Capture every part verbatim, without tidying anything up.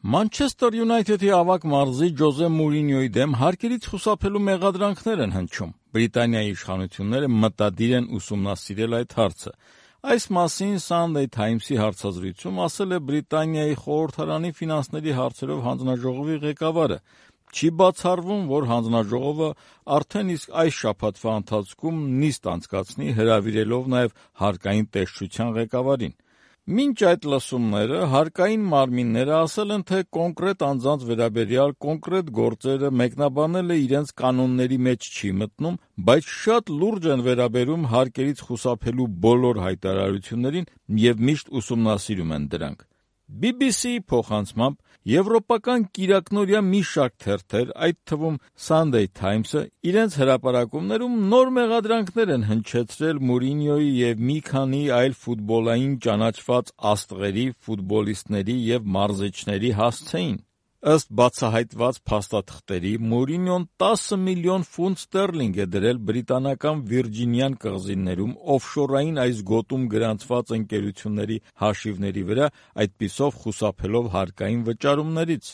Մանչեսթեր Յունայթեդի ավագ մարզի Ջոզե Մուրինյոյի դեմ հարկերից խուսափելու մեղադրանքներ են հնչում։ Բրիտանիայի իշխանությունները մտադիր են ուսումնասիրել այդ հարցը։ Այս մասին Sunday Times-ի հարցազրույցում ասել է Բրիտանիայի խորհրդարանի ֆինանսների հարցերով հանձնաժողովի ղեկավարը։ Չի բացառվում, որ հանձնաժողովը արդեն իսկ այս շաբաթվա ընթացքում նիստ անցկացնի, հրավիրելով նաև հարկային տեսչության ղեկավարին։ Մինչ այդ լսումները հարկային մարմինները ասել են, թե կոնկրետ անձանց վերաբերյալ կոնկրետ գործերը մեկնաբանելը իրենց կանոնների մեջ չի մտնում, բայց շատ լուրջ են վերաբերում հարկերից խուսափելու բոլոր հայտարարություններին և միշտ ուսումնասիրում են դրանք։ բի բի սի-ի փոխանցմամբ եվրոպական կիրակնօրյա մի շարք թերթեր, այդ թվում Sunday Times-ը, իրենց հրապարակումներում նոր մեղադրանքներ են հնչեցրել Մուրինյոյի և մի քանի այլ ֆուտբոլային ճանաչված աստղերի, ֆուտբոլիստների և մարզիչների հասցեին։ Ըստ բացահայտված փաստաթղթերի, Մուրինյոն տասը միլիոն ֆունտ ստերլինգ է դրել բրիտանական Վիրջինյան կղզիներում օֆշորային այս գոտում գրանցված ընկերությունների հաշիվների վրա, այդպիսով խուսափելով հարկային վճարումներից։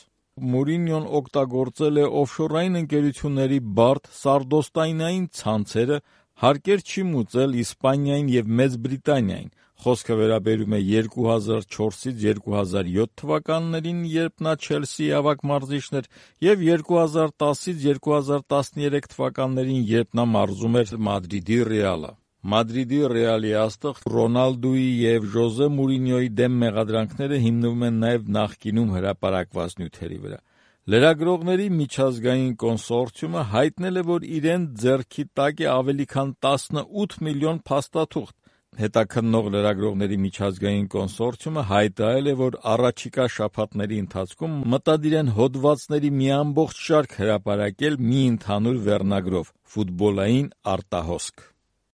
Մուրինյոն օգտագործել է օֆշորային ընկերությունների բարդ սարդոստայնային ցանցերը, հարկեր չի մուծել Իսպանիային և Մեծ Բրիտանիային։ Խոսքը վերաբերում է երկու հազար չորսից երկու հազար յոթ թվականներին, երբ նա Չելսիի ավագ մարզիչն էր, և երկու հազար տասից երկու հազար տասներեք թվականներին, երբ նա մարզում էր Մադրիդի Ռեալը։ Մադրիդի Ռեալի աստղ Ռոնալդուի և Ջոզե Մուրինյոյի դեմ մեղադրանքները հիմնվում են նաև նախկինում հրապարակված նյութերի վրա։ Լրագրողների միջազգային կոնսորցիումը հայտնել է, որ իրենց ձեռքի տակ է ավելի քան տասնութ միլիոն փաստաթուղթ։ Հետաքննող լրագրողների միջազգային կոնսորցիումը հայտարարել է, որ առաջիկա շաբաթների ընթացքում մտադիր են հոդվածների մի ամբողջ շարք հրապարակել մի ընդհանուր վերնագրով՝ «Ֆուտբոլային արտահոսք»։